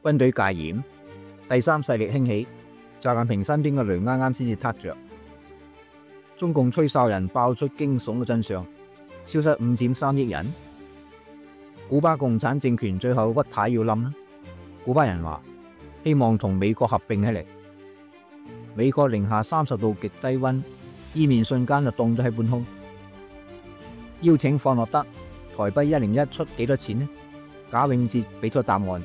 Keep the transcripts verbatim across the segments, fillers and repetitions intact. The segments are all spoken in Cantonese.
軍隊戒嚴，第三勢力興起，習近平身邊嘅雷啱啱先至撻着。中共吹哨人爆出驚悚嘅真相，消失五點三億人。古巴共產政權最後屈牌要冧啦。古巴人話希望同美國合併起嚟。美國零下三十度極低溫，伊麵瞬間就凍咗喺半空。邀請放樂德，台幣一零一出幾多錢呢？賈永婕俾出答案。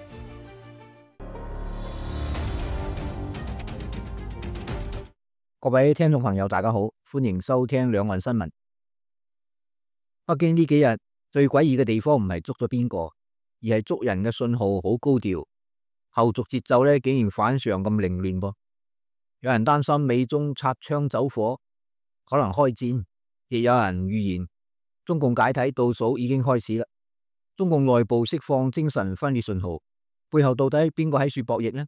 各位聽眾朋友，大家好，歡迎收聽兩岸新聞。北京呢幾日最詭異嘅地方唔係捉咗邊個，而係捉人嘅信號好高調，後續節奏呢竟然反常咁凌亂噃。有人擔心美中擦槍走火，可能開戰；亦有人預言中共解體倒數已經開始啦。中共內部釋放精神分裂信號，背後到底邊個喺處博弈呢？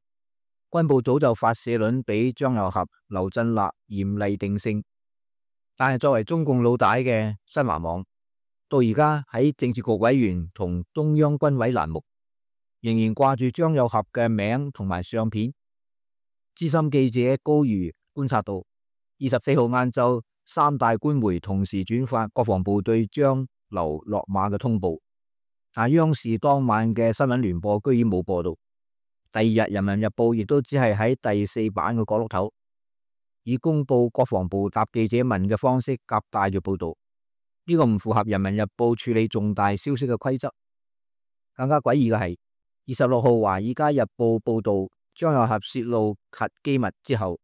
軍部早就發社論俾張又俠、劉振立嚴厲定性，但係作為中共老大嘅新華網，到而家喺政治局委員同中央軍委欄目，仍然掛住張又俠嘅名同埋相片。資深記者高瑜觀察到，二十四號晏晝，三大官媒同時轉發國防部對張劉落馬嘅通報，但央視當晚嘅新聞聯播居然冇播到。第二日，人民日報亦都只係喺第四版嘅角落頭，以公布國防部答記者問嘅方式夾帶住報道。呢個唔符合人民日報處理重大消息嘅規則。更加詭異嘅係，二十六號華爾街日報報道張又俠泄露核機密之後，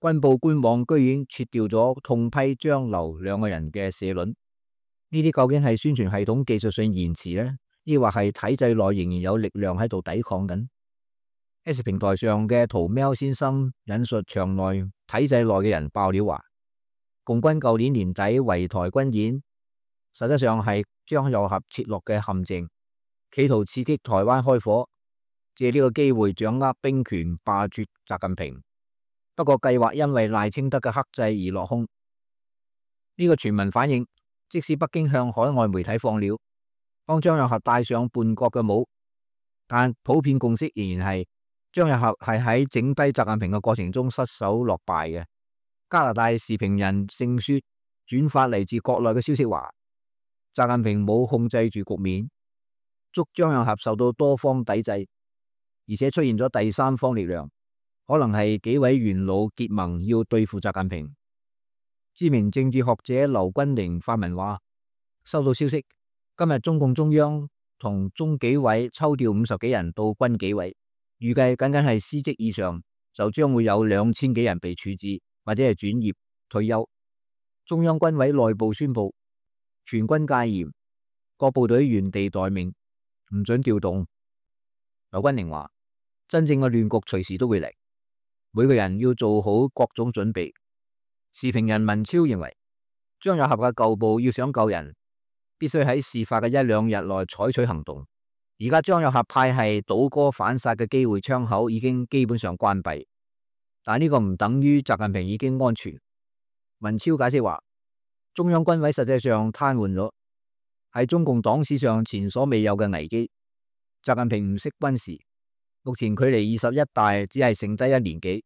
軍部官網居然撤掉咗痛批張劉兩個人嘅社論。呢啲究竟係宣傳系統技術性延遲呢？抑或係體制內仍然有力量喺度抵抗緊？ S 平台上嘅屠喵先生引述場內體制內嘅人爆料話，共軍舊年年底圍台軍演，實質上係張又俠設落嘅陷阱，企圖刺激台灣開火，借呢個機會掌握兵權，罷黜習近平。不過計劃因為賴清德嘅克制而落空。呢、這個傳聞反映，即使北京向海外媒體放料，幫張又俠戴上叛國嘅帽，但普遍共識仍然係張又俠係喺整低習近平嘅過程中失手落敗嘅。加拿大時評人盛雪轉發嚟自國內嘅消息話，習近平冇控制住局面，捉張又俠受到多方抵制，而且出現咗第三方力量，可能係幾位元老結盟要對付習近平。知名政治學者劉君寧發文話，收到消息，今日中共中央同中紀委抽調五十幾人到軍紀委，預計僅僅係司職以上就將會有兩千幾人被處置或者係轉業退休。中央軍委內部宣布全軍戒嚴，各部隊原地待命，唔准調動。劉君寧話，真正嘅亂局隨時都會嚟，每個人要做好各種準備。時評人文超認為，張又俠嘅舊部要想救人，必須喺事發嘅一兩日內採取行動。而家張又俠派系倒戈反殺嘅機會窗口已經基本上關閉，但呢個唔等於習近平已經安全。文超解釋話，中央軍委實際上癱瘓咗，係中共黨史上前所未有嘅危機。習近平唔識軍事，目前距離二十一大只係剩低一年幾，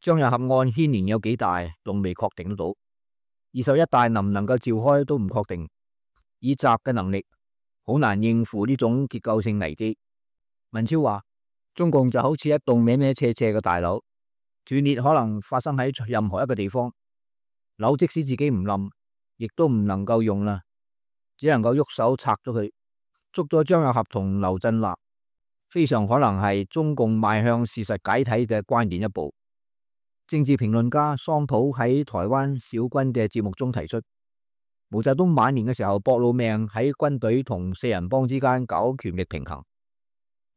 張又俠案牽連有幾大，仲未確定得到。二十一大能唔能夠召開都唔確定，以習嘅能力，好難應付呢種結構性危機。文超話，中共就好似一棟歪歪斜斜嘅大樓，斷裂可能發生喺任何一個地方，樓即使自己唔冧，亦都唔能夠用啦，只能夠喐手拆咗佢。捉咗張又俠同劉振立，非常可能係中共邁向事實解體嘅關鍵一步。政治評論家桑普喺台灣小軍嘅節目中提出，毛澤東晚年嘅時候搏老命喺軍隊同四人幫之間搞權力平衡，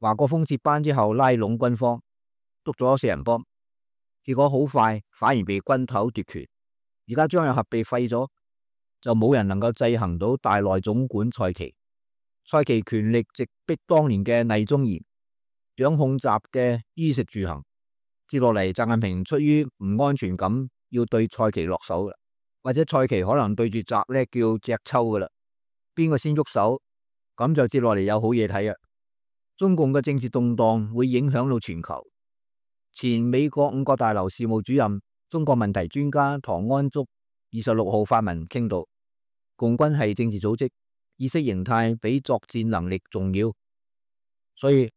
華國鋒接班之後拉攏軍方，捉咗四人幫，結果好快反而被軍頭奪權。而家張又俠被廢咗，就冇人能夠制衡到大內總管蔡奇。蔡奇權力直逼當年嘅魏忠賢，掌控習嘅衣食住行。接落嚟，習近平出於唔安全感，要對蔡奇落手啦，或者蔡奇可能對住習咧叫隻抽噶啦，邊個先喐手，咁就接落嚟有好嘢睇啊！中共嘅政治動盪會影響到全球。前美國五角大樓事務主任、中國問題專家唐安竹二十六號發文傾到，共軍係政治組織，意識形態比作戰能力重要。所以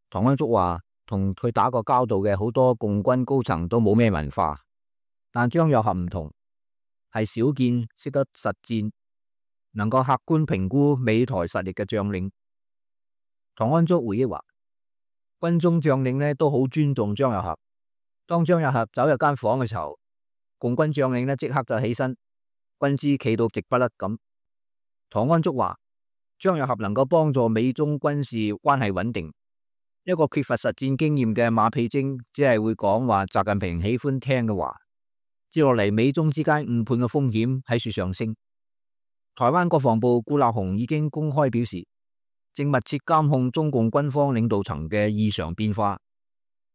唐安竹話，同佢打過交道嘅好多共軍高層都冇咩文化，但張又俠唔同，係少見識得實戰，能夠客觀評估美台實力嘅將領。唐安竹回憶話，軍中將領呢都好尊重張又俠。當張又俠走入間房嘅時候，共軍將領呢即刻就起身，軍姿企到直不甩咁。唐安竹話，張又俠能夠幫助美中軍事關係穩定。一個缺乏實戰經驗嘅馬屁精，只係會講話習近平喜歡聽嘅話。接落嚟，美中之間誤判嘅風險喺處上升。台灣國防部顧立雄已經公開表示，正密切監控中共軍方領導層嘅異常變化。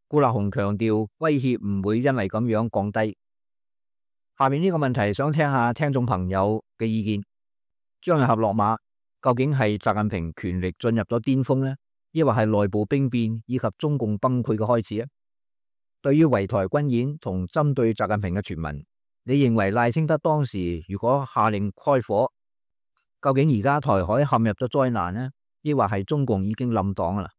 顧立雄強調，威脅唔會因為咁樣降低。下面呢個問題想聽下聽眾朋友嘅意見：張又俠落馬，究竟係習近平權力進入咗巔峰呢，抑或係內部兵變以及中共崩潰嘅開始啊？對於圍台軍演同針對習近平嘅傳聞，你認為賴清德當時如果下令開火，究竟而家台海陷入咗災難呢，抑或係中共已經冧黨啦？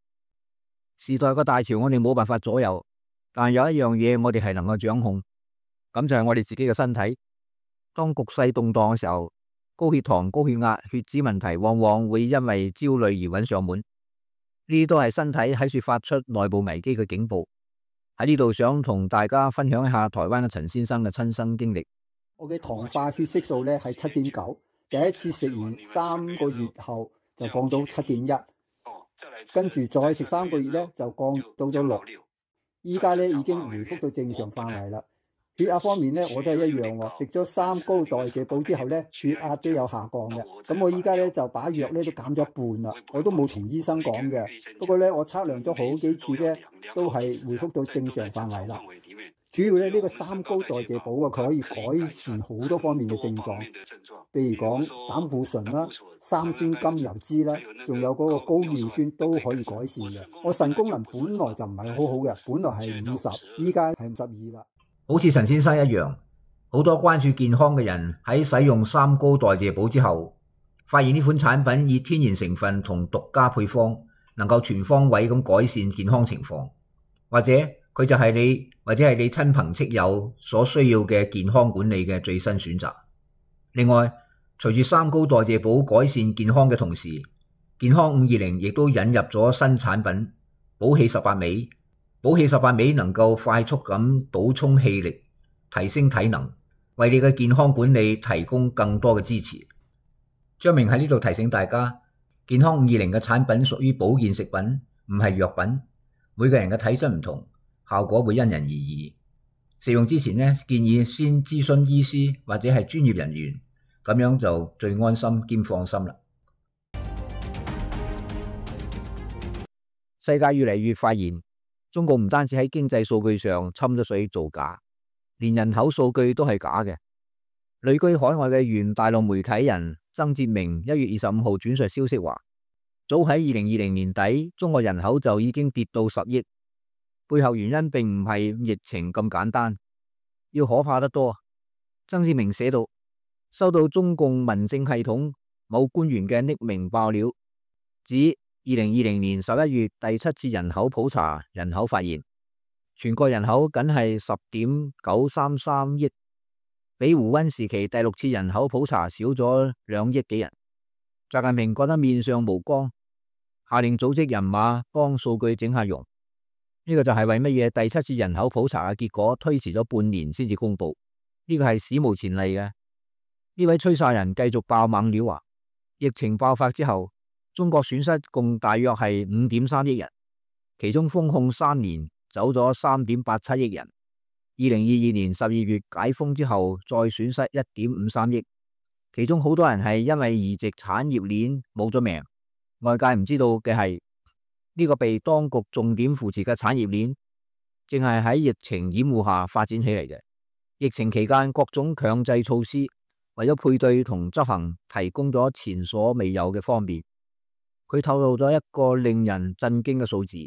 時代個大潮我哋冇辦法左右，但有一樣嘢我哋係能夠掌控，咁就係我哋自己嘅身體。當局勢動盪嘅時候，高血糖、高血壓、血脂問題往往會因為焦慮而揾上門，呢啲都係身體喺處發出內部危機嘅警報。喺呢度想同大家分享一下台灣嘅陳先生嘅親身經歷。我嘅糖化血色素咧係七點九，第一次食完三個月後就降到七點一，跟住再食三個月咧就降到咗六，依家咧已經回復到正常範圍啦。血壓方面咧我都係一樣喎，食咗三高代謝補之後咧血壓都有下降嘅。咁我依家咧就把藥咧都減咗一半啦，我都冇同醫生講嘅。不過咧我測量咗好幾次咧都係回復到正常範圍啦。主要咧呢個三高代謝補啊，佢可以改善好多方面嘅症狀，譬如講膽固醇啦、三酸甘油脂啦，仲有嗰個高尿酸都可以改善嘅。我腎功能本來就唔係好好嘅，本來係五十，依家係五十二啦。好似陳先生一樣，好多關注健康嘅人喺使用三高代謝補之後，發現呢款產品以天然成分同獨家配方，能夠全方位咁改善健康情況，或者佢就係你或者係你親朋戚友所需要嘅健康管理嘅最新選擇。另外，隨住三高代謝補改善健康嘅同時，健康五二零亦都引入咗新產品補氣十八味。補氣十八味能夠快速咁補充氣力，提升體能，為你嘅健康管理提供更多嘅支持。張明喺呢度提醒大家，健康五二零嘅產品屬於保健食品，唔係藥品。每個人嘅體質唔同，效果會因人而異。食用之前呢，建議先諮詢醫師或者係專業人員，咁樣就最安心兼放心啦。世界越嚟越發現，中共唔單止喺經濟數據上侵咗水造假，連人口數據都係假嘅。旅居海外嘅原大陸媒體人曾哲明一月二十五號轉述消息話，早喺二零二零年底，中國人口就已經跌到十億，背後原因並唔係疫情咁簡單，要可怕得多。曾哲明寫道，收到中共民政系統某官員嘅匿名爆料，指二零二零年十一月第七次人口普查人口發現，全國人口僅係十點九三三億，比胡溫時期第六次人口普查少咗兩億幾人。習近平覺得面上無光，下令組織人馬幫數據整下容。呢個就係為乜嘢第七次人口普查嘅結果推遲咗半年先至公布？呢個係史無前例嘅。呢位吹哨人繼續爆猛料話，疫情爆發之後，中國損失共大約係五點三億人，其中封控三年走咗三點八七億人。二零二二年十二月解封之後，再損失一點五三億，其中好多人係因為移植產業鏈冇咗命。外界唔知道嘅係，呢個被當局重點扶持嘅產業鏈，正係喺疫情掩護下發展起嚟嘅。疫情期間各種強制措施為咗配對同執行提供咗前所未有嘅方便。佢透露咗一個令人震驚嘅數字：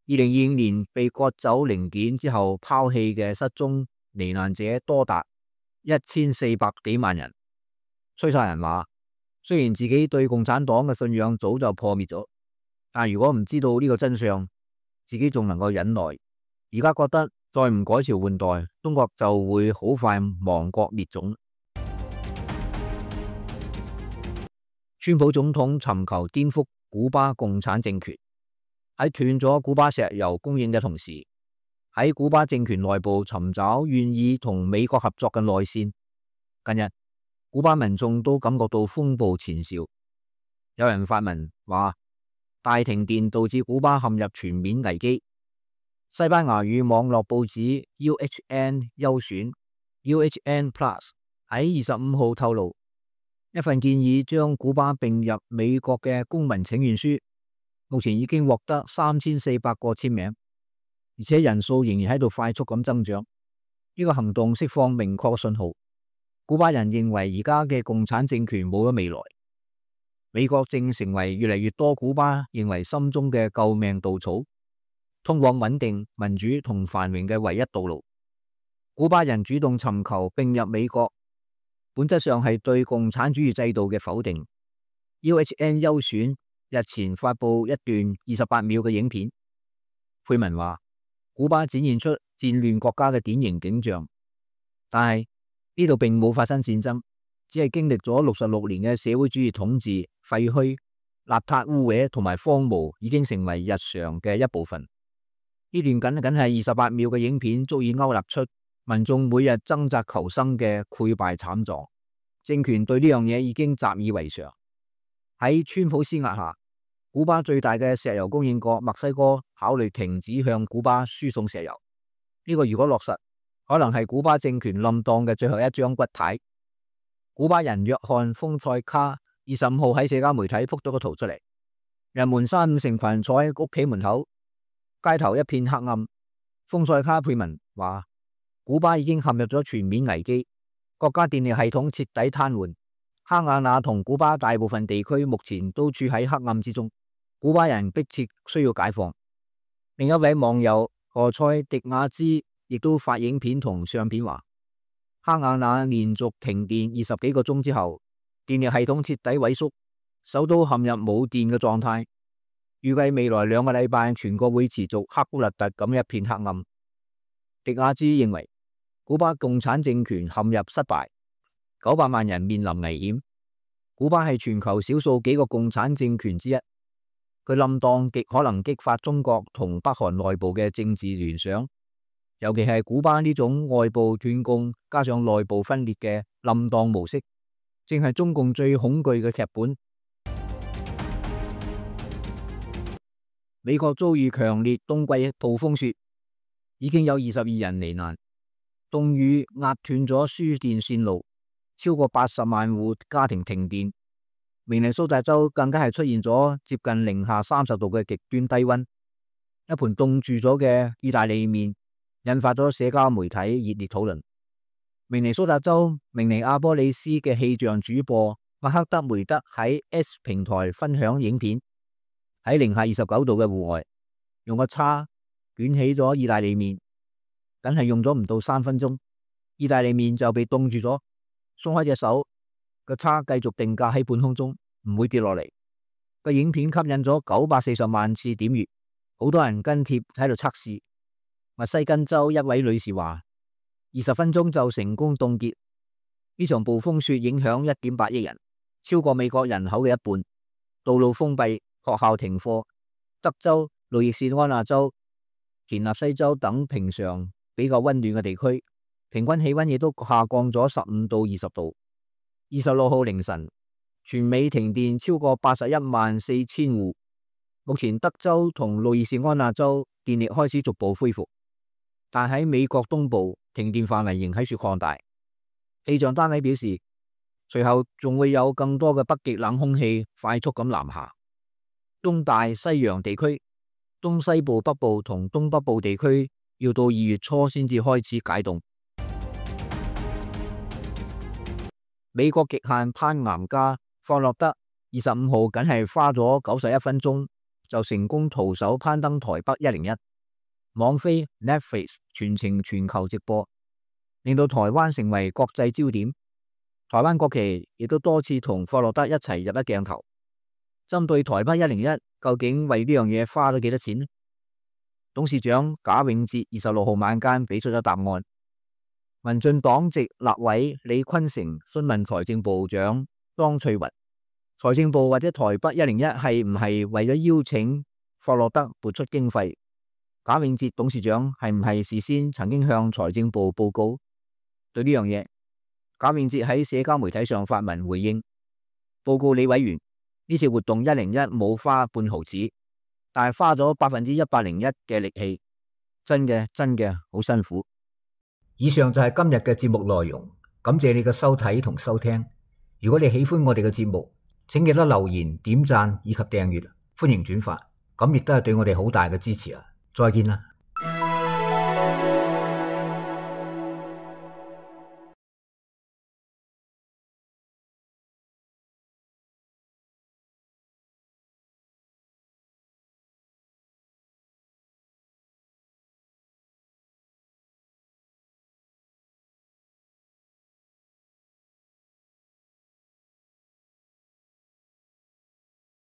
二零二五年被割走零件之後拋棄嘅失蹤罹難者多達一千四百幾萬人。吹哨人話，雖然自己對共產黨嘅信仰早就破滅咗，但如果唔知道呢個真相，自己仲能夠忍耐。而家覺得再唔改朝換代，中國就會好快亡國滅種。川普總統尋求顛覆古巴共產政權，喺斷咗古巴石油供應嘅同時，喺古巴政權內部尋找願意同美國合作嘅內線。近日，古巴民眾都感覺到風暴前兆，有人發文話大停電導致古巴陷入全面危機。西班牙語網絡報紙 U H N 優選 U H N Plus 喺二十五號透露，一份建議將古巴併入美國嘅公民請願書，目前已經獲得三千四百個簽名，而且人數仍然喺度快速咁增長。呢個行動釋放明確嘅信號，古巴人認為而家嘅共產政權冇咗未來，美國正成為越嚟越多古巴認為心中嘅救命稻草，通往穩定、民主同繁榮嘅唯一道路。古巴人主動尋求併入美國，本質上係對共產主義制度嘅否定。U H N 優選日前發布一段二十八秒嘅影片，配文話古巴展現出戰亂國家嘅典型景象，但係呢度並冇發生戰爭，只係經歷咗六十六年嘅社會主義統治，廢墟、邋遢污穢同埋荒蕪已經成為日常嘅一部分。呢段僅僅係二十八秒嘅影片，足以勾勒出民眾每日掙扎求生嘅潰敗慘狀。政權對呢樣嘢已經習以為常。喺川普施壓下，古巴最大嘅石油供應國墨西哥考慮停止向古巴輸送石油。呢個如果落實，可能係古巴政權冧檔嘅最後一張骨牌。古巴人約翰豐塞卡二十五號喺社交媒體鋪咗個圖出嚟，人們三五成群坐喺屋企門口，街頭一片黑暗。豐塞卡配文話，古巴已經陷入咗全面危機，國家電力系統徹底癱瘓，哈瓦那同古巴大部分地區目前都處喺黑暗之中，古巴人迫切需要解放。另一位網友何塞迪亞茲亦都發影片同相片話，哈瓦那連續停電二十幾個鐘之後，電力系統徹底萎縮，首都陷入冇電嘅狀態。預計未來兩個禮拜，全國會持續黑烏勒特咁一片黑暗。迪亞茲認為，古巴共產政權陷入失敗，九百萬人面臨危險。古巴係全球少數幾個共產政權之一，佢冧檔極可能激發中國同北韓內部嘅政治聯想，尤其係古巴呢種外部斷供加上內部分裂嘅冧檔模式，正係中共最恐懼嘅劇本。美國遭遇強烈冬季暴風雪，已經有二十二人罹難。凍雨壓斷咗輸電線路，超過八十萬戶家庭停電。明尼蘇達州更加係出現咗接近零下三十度嘅極端低溫。一盤凍住咗嘅意大利麵引發咗社交媒體熱烈討論。明尼蘇達州明尼阿波利斯嘅氣象主播麥克德梅德喺 S 平台分享影片，喺零下二十九度嘅戶外，用個叉捲起咗意大利麵，僅係用咗唔到三分鐘，意大利麵就被凍住咗。鬆開隻手，個叉繼續定格喺半空中，唔會跌落嚟。個影片吸引咗九百四十萬次點閱，好多人跟貼喺度測試。密西根州一位女士話，二十分鐘就成功凍結。呢場暴風雪影響一點八億人，超過美國人口嘅一半，道路封閉，學校停課。德州、路易斯安那州、田納西州等平常比較溫暖嘅地區，平均氣溫亦都下降咗十五到二十度。二十六號凌晨，全美停電超過八十一萬四千戶。目前德州同路易斯安那州電力開始逐步恢復，但喺美國東部停電範圍仍喺處擴大。氣象單位表示，隨後仲會有更多嘅北極冷空氣快速咁南下。東大西洋地區、東西部北部同東北部地區要到二月初先至開始解凍。美國極限攀岩家霍洛德二十五號僅係花咗九十一分鐘就成功徒手攀登台北一零一，網飛 Netflix 全程全球直播，令到台灣成為國際焦點。台灣國旗亦都多次同霍洛德一齊入一鏡頭。針對台北一零一，究竟為呢樣嘢花咗幾多錢呢？董事長賈永哲二十六號晚間俾出咗答案。民進黨籍立委李坤城詢問財政部長莊翠雲，財政部或者台北一零一係唔係為咗邀請霍洛德撥出經費？賈永哲董事長係唔係事先曾經向財政部報告？對呢樣嘢，賈永哲喺社交媒體上發文回應，報告李委員，呢次活動一零一冇花半毫子，但係花咗百分之一百零一嘅力氣，真嘅真嘅好辛苦。以上就係今日嘅節目內容，感謝你嘅收睇同收聽。如果你喜歡我哋嘅節目，請記得留言、點讚以及訂閱，歡迎轉發，咁亦都係對我哋好大嘅支持啊！再見啦。